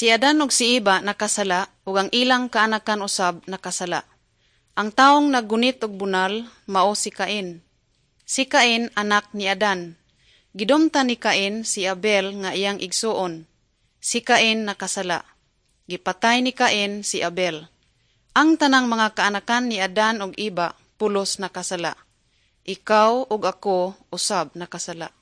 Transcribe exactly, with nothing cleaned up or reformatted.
Si Adan ug si Eva nakasala ug ang ilang kaanakan usab nakasala. Ang taong naggunit og bunal mao si Cain. Si Cain anak ni Adan. Gidumtan ni Cain si Abel nga iyang igsuon. Si Cain nakasala. Gipatay ni Cain si Abel. Ang tanang mga kaanakan ni Adan ug Eva pulos nakasala. Ikaw ug ako usab nakasala.